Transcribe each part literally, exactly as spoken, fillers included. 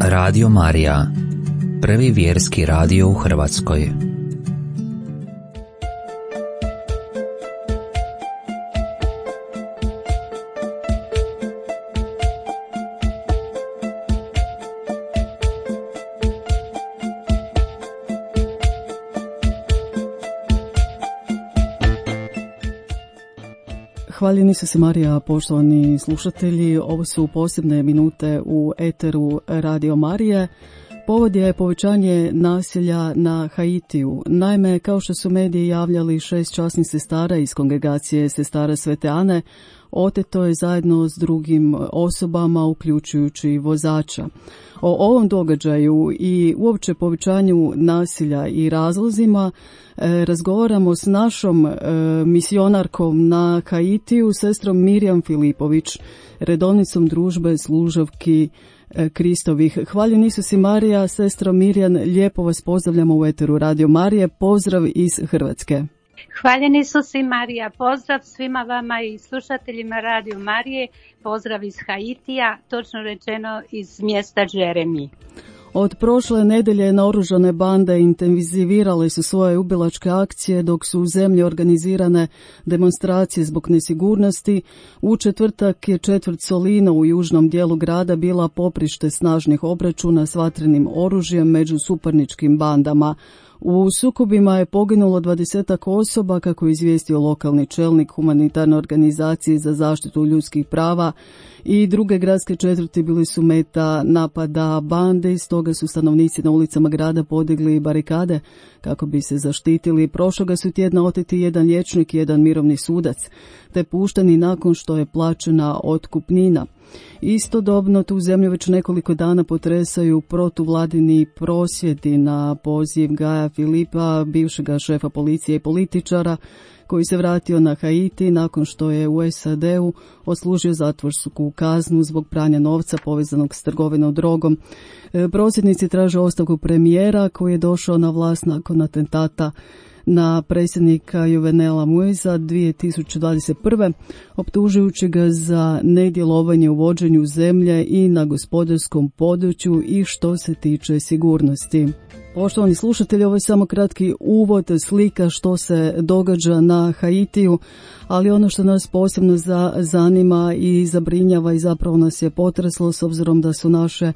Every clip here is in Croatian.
Radio Marija, prvi vjerski radio u Hrvatskoj. Hvaljeni su se Marija, poštovani slušatelji. Ovo su posebne minute u eteru Radio Marije. Povod je povećanje nasilja na Haitiju. Naime, kao što su mediji javljali, šest časnih sestara iz kongregacije Sestara Svete Ane oteto je zajedno s drugim osobama, uključujući vozača. O ovom događaju i uopće povećanju nasilja i razlozima e, razgovaramo s našom e, misionarkom na Haitiju, sestrom Mirjam Filipović, redovnicom družbe služavki e, Kristovih. Hvaljeni Isus i Marija, sestra Mirjam, lijepo vas pozdravljamo u eteru Radio Marije. Pozdrav iz Hrvatske. Hvaljeni Isus i Marija, pozdrav svima vama i slušateljima Radio Marije, pozdrav iz Haitija, točno rečeno iz mjesta Džeremi. Od prošle nedelje naoružane bande intenzivirale su svoje ubilačke akcije dok su u zemlji organizirane demonstracije zbog nesigurnosti. U četvrtak je četvrt Solina u južnom dijelu grada bila poprište snažnih obračuna s vatrenim oružjem među suparničkim bandama. U sukobima je poginulo dvadesetak osoba, kako je izvijestio lokalni čelnik humanitarne organizacije za zaštitu ljudskih prava, i druge gradske četvrti bili su meta napada bande, stoga su stanovnici na ulicama grada podigli barikade kako bi se zaštitili. Prošloga su tjedna oteti jedan liječnik i jedan mirovni sudac, te pušteni nakon što je plaćena otkupnina. Istodobno tu zemlju već nekoliko dana potresaju protuvladini prosvjedi na poziv Gaja Filipa, bivšega šefa policije i političara, koji se vratio na Haiti nakon što je u S A D-u odslužio zatvorsku kaznu zbog pranja novca povezanog s trgovinom drogom. Prosvjednici traže ostavku premijera koji je došao na vlast nakon atentata na predsjednika Jovenela Moisa dvije tisuće dvadeset prve. optužujući ga za nedjelovanje u vođenju zemlje i na gospodarskom području i što se tiče sigurnosti. Poštovani slušatelji, ovo je samo kratki uvod, slika što se događa na Haitiju, ali ono što nas posebno za, zanima i zabrinjava i zapravo nas je potreslo s obzirom da su naše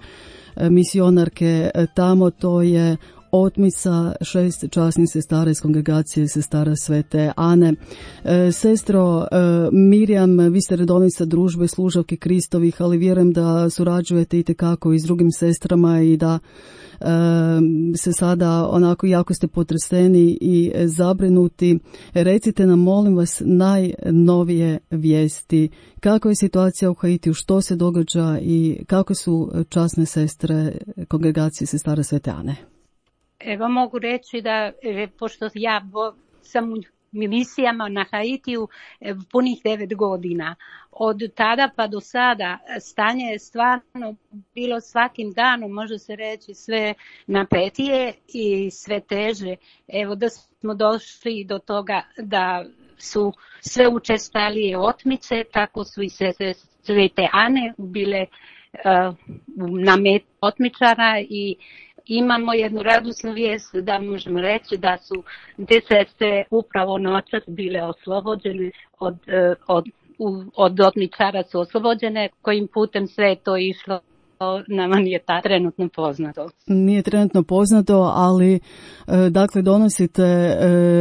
misionarke tamo, to je otmica šest časnih sestara iz kongregacije Sestara Svete Ane. E, sestro e, Mirjam, vi ste redovnica družbe služavki Kristovih, ali vjerujem da surađujete itekako i s drugim sestrama i da e, se sada onako jako ste potreseni i zabrinuti. Recite nam, molim vas, najnovije vijesti. Kako je situacija u Haitiju, što se događa i kako su časne sestre kongregacije Sestara Svete Ane? Evo mogu reći da, pošto ja sam u misijama na Haitiju punih devet godina, od tada pa do sada stanje je stvarno bilo svakim danom, može se reći, sve napetije i sve teže. Evo da smo došli do toga da su sve učestalije otmice, tako su i Sestre Svete Ane bile uh, na metu otmičara i imamo jednu radosnu vijest da možemo reći da su te sestre upravo noćas bile oslobođene od, od, od otmičara su oslobođene, kojim putem sve je to išlo. Nama nije ta trenutno poznato. Nije trenutno poznato, ali dakle donosite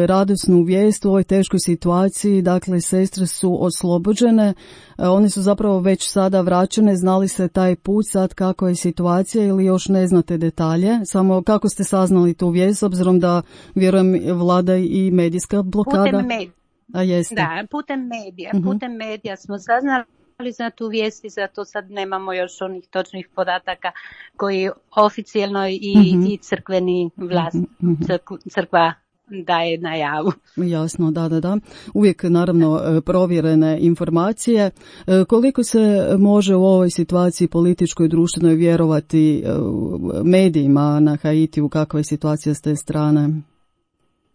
radosnu vijest u ovoj teškoj situaciji. Dakle, sestre su oslobođene, one su zapravo već sada vraćene. Znali ste taj put sad kako je situacija ili još ne znate detalje? Samo kako ste saznali tu vijest, s obzirom da vjerujem vlada i medijska blokada? Putem medija. A jeste. Da, putem medija. Uh-huh. Putem medija smo saznali za tu vijest i zato sad nemamo još onih točnih podataka koji oficijelno i, mm-hmm. i crkveni vlast, mm-hmm. crkva, crkva daje na javu. Jasno, da, da, da. Uvijek naravno provjerene informacije. Koliko se može u ovoj situaciji političkoj i društvenoj vjerovati medijima na Haitiju, kakva je situacija s te strane?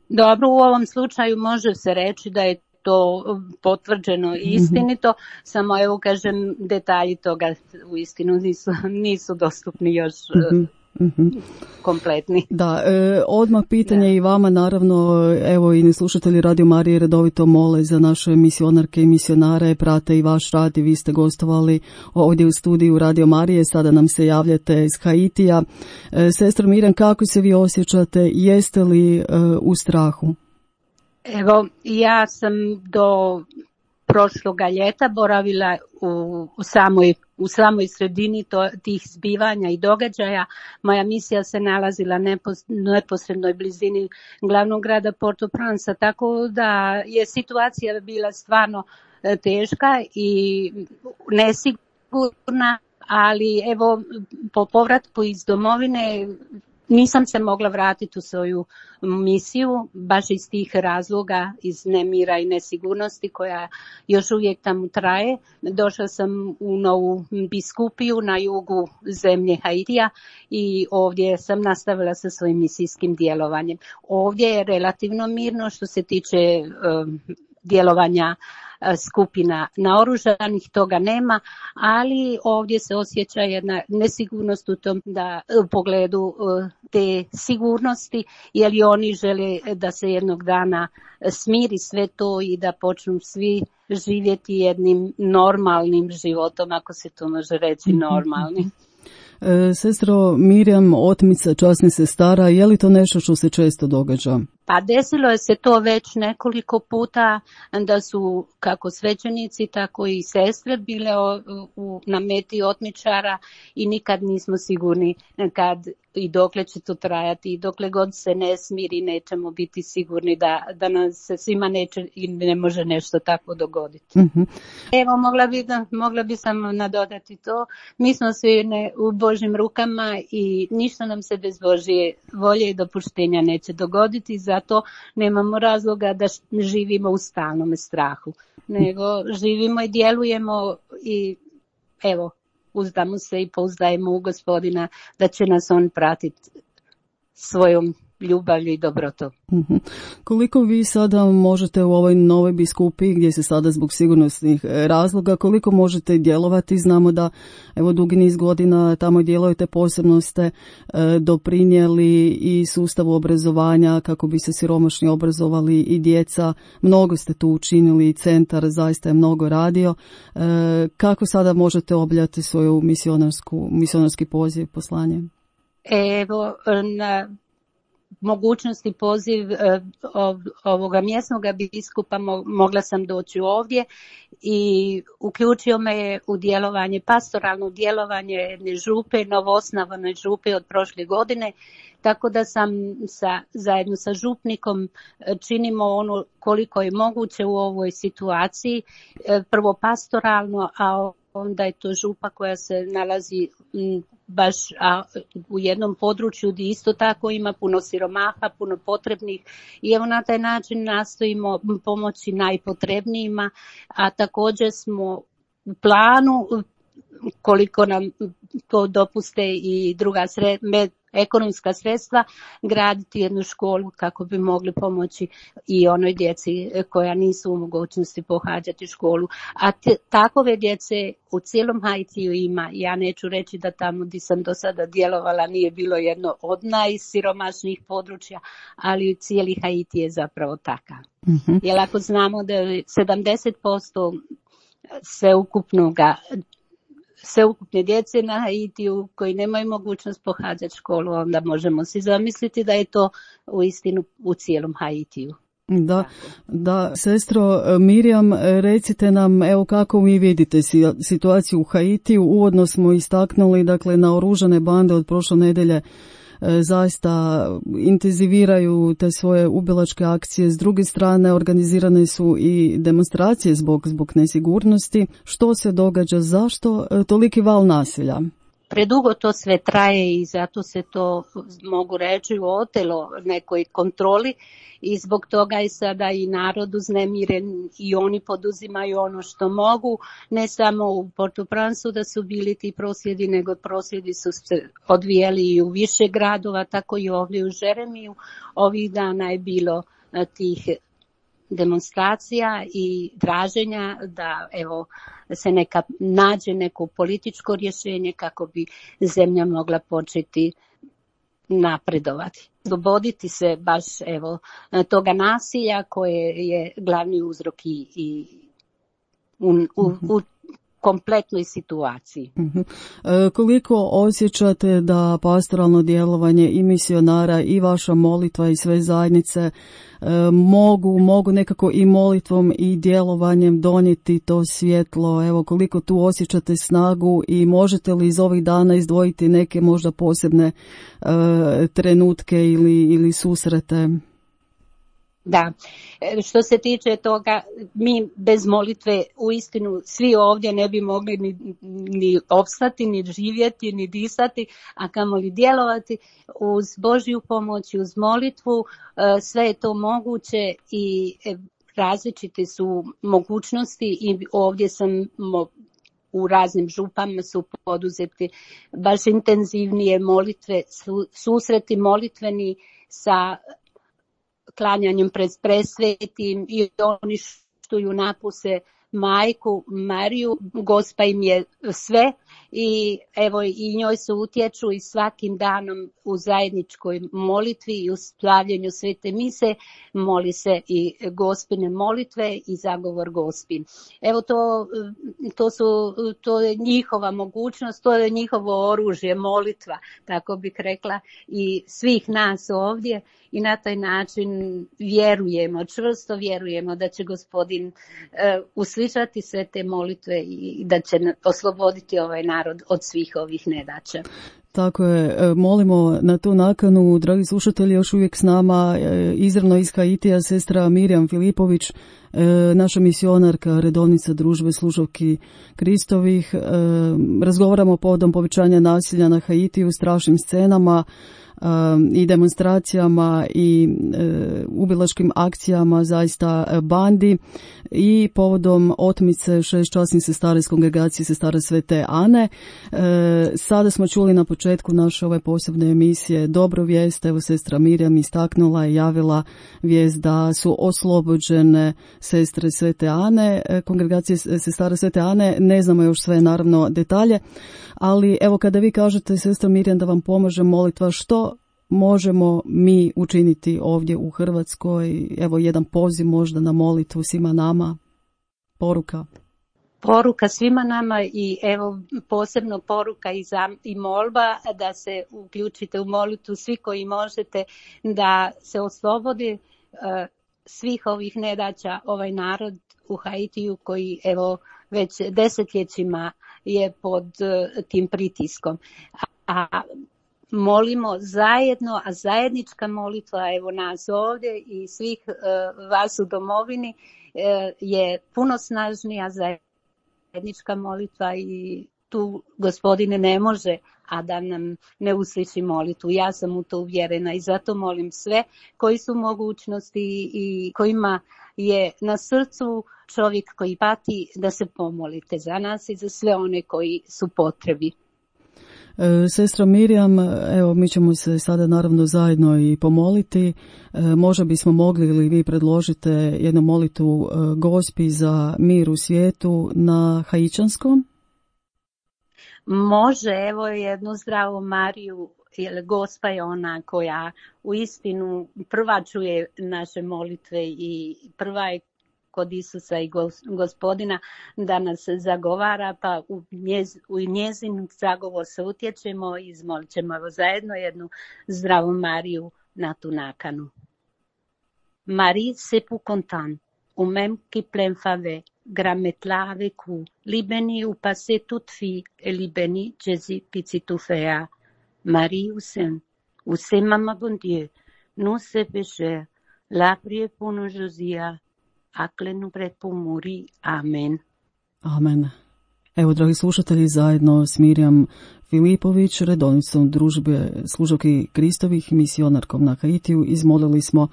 Dobro, u ovom slučaju može se reći da je to potvrđeno i istinito, mm-hmm. samo evo kažem detalji toga u istinu nisu, nisu dostupni još mm-hmm. Mm-hmm. kompletni. Da, e, odmah pitanje da. I vama naravno, evo i slušatelji Radio Marije redovito mole za naše misionarke i misionare, prate i vaš rad i vi ste gostovali ovdje u studiju Radio Marije, sada nam se javljate iz Haitija. E, sestro Mirjam, kako se vi osjećate, jeste li e, u strahu? Evo, ja sam do prošloga ljeta boravila u, u samoj u samoj sredini to, tih zbivanja i događaja. Moja misija se nalazila nepos, neposrednoj blizini glavnog grada Port-au-Prince, tako da je situacija bila stvarno teška i nesigurna, ali evo po povratku iz domovine nisam se mogla vratiti u svoju misiju, baš iz tih razloga, iz nemira i nesigurnosti koja još uvijek tamo traje. Došla sam u novu biskupiju na jugu zemlje Haitija i ovdje sam nastavila sa svojim misijskim djelovanjem. Ovdje je relativno mirno što se tiče um, djelovanja skupina naoružanih, toga nema, ali ovdje se osjeća jedna nesigurnost u tom da u pogledu te sigurnosti, jer i oni žele da se jednog dana smiri sve to i da počnu svi živjeti jednim normalnim životom, ako se to može reći normalnim. E, sestro Mirjam, otmica časnih sestara, je li to nešto što se često događa? Pa desilo je se to već nekoliko puta da su kako svećenici, tako i sestre bile u, u, na meti otmičara i nikad nismo sigurni kad i dokle će to trajati i dokle god se ne smiri nećemo biti sigurni da, da nam se svima neće i ne može nešto tako dogoditi. Mm-hmm. Evo, mogla bi, mogla bi samo nadodati to. Mi smo svi ne, u Božjim rukama i ništa nam se bez Božje volje i dopuštenja neće dogoditi, zato nemamo razloga da živimo u stalnom strahu, nego živimo i djelujemo i evo, uzdamo se i pouzdajemo u Gospodina da će nas on pratiti svojom ljubavlju i dobrotom. Mm-hmm. Koliko vi sada možete u ovoj novoj biskupiji, gdje se sada zbog sigurnosnih razloga, koliko možete djelovati? Znamo da evo dugi niz godina tamo djelujete, posebno ste e, doprinijeli i sustavu obrazovanja kako bi se siromašni obrazovali i djeca. Mnogo ste tu učinili i centar zaista je mnogo radio. E, kako sada možete obavljati svoju misionarsku, misionarski poziv, poslanje? Evo, na mogućnosti poziv ovoga mjesnog biskupa mogla sam doći ovdje i uključio me je u djelovanje, pastoralno djelovanje jedne župe, novoosnovane župe od prošle godine, tako da sam sa, zajedno sa župnikom činimo ono koliko je moguće u ovoj situaciji, prvo pastoralno, a onda je to župa koja se nalazi baš a, u jednom području gdje isto tako ima puno siromaha, puno potrebnih i evo na taj način nastojimo pomoći najpotrebnijima, a također smo u planu koliko nam to dopuste i druga sredstva, ekonomska sredstva, graditi jednu školu kako bi mogli pomoći i onoj djeci koja nisu u mogućnosti pohađati školu. A te, takove djece u cijelom Haitiju ima. Ja neću reći da tamo gdje sam do sada djelovala nije bilo jedno od najsiromašnijih područja, ali cijeli Haiti je zapravo takav. Mm-hmm. Jer ako znamo da je sedamdeset posto sveukupnoga sveukupne djece na Haitiju koji nemaju mogućnost pohađati školu, onda možemo si zamisliti da je to u istinu u cijelom Haitiju. Da, da, sestro Mirjam, recite nam evo kako vi vidite situaciju u Haitiju. Uvodno smo istaknuli, dakle, naoružane bande od prošle nedjelje zaista intenziviraju te svoje ubilačke akcije. S druge strane, organizirane su i demonstracije zbog, zbog nesigurnosti. Što se događa? Zašto toliki val nasilja? Predugo to sve traje i zato se to, mogu reći, otelo nekoj kontroli i zbog toga je sada i narod uznemiren i oni poduzimaju ono što mogu, ne samo u Port-au-Princeu da su bili ti prosvjedi, nego prosvjedi su se odvijeli i u više gradova, tako i ovdje u Žeremiju. Ovih dana je bilo tih demonstracija i traženja da evo se neka nađe neko političko rješenje kako bi zemlja mogla početi napredovati. Osloboditi se baš evo toga nasilja koje je glavni uzrok i, i u, u, u kompletnoj situaciji. Uh-huh. E, koliko osjećate da pastoralno djelovanje i misionara i vaša molitva i sve zajednice e, mogu, mogu nekako i molitvom i djelovanjem donijeti to svjetlo? Evo, koliko tu osjećate snagu i možete li iz ovih dana izdvojiti neke možda posebne e, trenutke ili, ili susrete? Da, što se tiče toga, mi bez molitve uistinu svi ovdje ne bi mogli ni, ni opstati, ni živjeti, ni disati, a kamoli djelovati. Uz Božju pomoć, uz molitvu, sve je to moguće i različite su mogućnosti i ovdje sam u raznim župama su poduzeti baš intenzivnije molitve, susreti molitveni sa klanjanjem pred presvetim i oni što ju napuse majku Mariju, Gospa im je sve i evo i njoj se utječu i svakim danom u zajedničkoj molitvi i u slavljenju svete mise moli se i Gospine molitve i zagovor Gospin. Evo to, to su, to je njihova mogućnost, to je njihovo oružje, molitva, tako bih rekla, i svih nas ovdje. I na taj način vjerujemo, čvrsto vjerujemo da će Gospodin uh, uslišati sve te molitve i da će osloboditi ovaj narod od svih ovih nedaća. Tako je, molimo na tu nakanu, dragi slušatelji, još uvijek s nama izravno iz Haitija sestra Mirjam Filipović, naša misionarka, redovnica družbe služavki Kristovih. Razgovaramo povodom povećanja nasilja na Haitiju, strašnim scenama i demonstracijama i e, ubilačkim akcijama zaista bandi i povodom otmice šest časnih sestara iz kongregacije sestara Svete Ane. E, sada smo čuli na početku naše ove posebne emisije dobru vijest. Evo sestra Mirjam istaknula i javila vijest da su oslobođene sestre Svete Ane, kongregacije sestara Svete Ane. Ne znamo još sve naravno detalje, ali evo kada vi kažete sestra Mirjam da vam pomaže molitva, što možemo mi učiniti ovdje u Hrvatskoj? Evo jedan poziv možda na molitvu svima nama, poruka. Poruka svima nama i evo posebno poruka i, za, i molba da se uključite u molitvu svi koji možete, da se oslobodi uh, svih ovih nedaća ovaj narod u Haitiju koji evo već desetljećima je pod uh, tim pritiskom. A, a molimo zajedno, a zajednička molitva evo nas ovdje i svih uh, vas u domovini uh, je puno snažnija zajednička molitva i tu Gospodine ne može, a da nam ne usliši molitvu. Ja sam u to uvjerena i zato molim sve koji su mogućnosti i kojima je na srcu čovjek koji pati da se pomolite za nas i za sve one koji su potrebi. Sestra Mirjam, evo mi ćemo se sada naravno zajedno i pomoliti. Možda bismo mogli ili vi predložite jednu molitvu Gospi za mir u svijetu na haičanskom? Može, evo jednu zdravu Mariju, jer Gospa je ona koja u istinu prva čuje naše molitve i prva je kod Isusa i Gospodina da nas zagovara, pa u, njez, u njezin zagovor se utječemo i izmolit ćemo evo zajedno jednu zdravu Mariju na tu nakanu. Marie, c'est pour content, ou même qui plein fave, grametla avec vous, li béni ou passé toute fille, et li béni Jésus petit fea. Marie ou saint, ou c'est maman bon Dieu, nous c'est pécheurs, la prière pour nous Josia, aklenu pred pomuri. Amen. Amen. Evo, dragi slušatelji, zajedno s Mirjam Filipović, redovnicom družbe služavki Kristovih, misionarkom na Haitiju, izmolili smo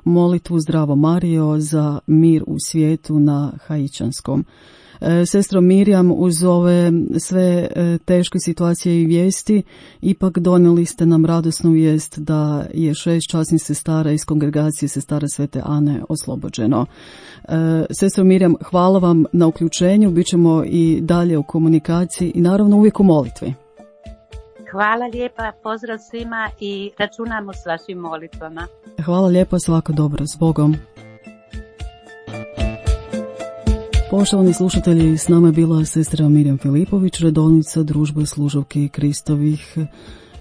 molitvu Zdravo Marijo za mir u svijetu na haičanskom. Sestro Mirjam, uz ove sve teške situacije i vijesti, ipak donijeli ste nam radosnu vijest da je šest časnih sestara iz kongregacije Sestara Svete Ane oslobođeno. Sestro Mirjam, hvala vam na uključenju, bit ćemo i dalje u komunikaciji i naravno uvijek u molitvi. Hvala lijepa, pozdrav svima i računamo s vašim molitvama. Hvala lijepa, svako dobro, s Bogom. Poštovani slušatelji, s nama je bila sestra Mirjam Filipović, redovnica Družbe služavki Kristovih.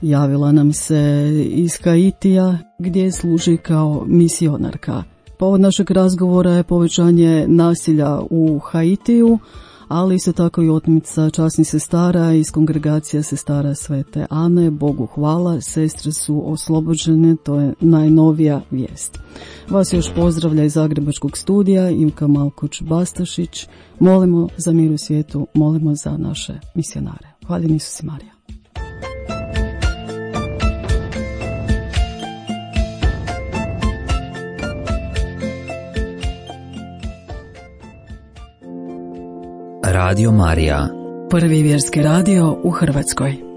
Javila nam se iz Haitija gdje služi kao misionarka. Povod našeg razgovora je povećanje nasilja u Haitiju, ali isto tako i otmica časnih sestara iz kongregacije Sestara Svete Ane. Bogu hvala, sestre su oslobođene, to je najnovija vijest. Vas još pozdravlja iz Zagrebačkog studija Ivka Malkuć-Bastašić. Molimo za mir u svijetu, molimo za naše misionare. Hvaljen Isus i Marija. Radio Marija, prvi vjerski radio u Hrvatskoj.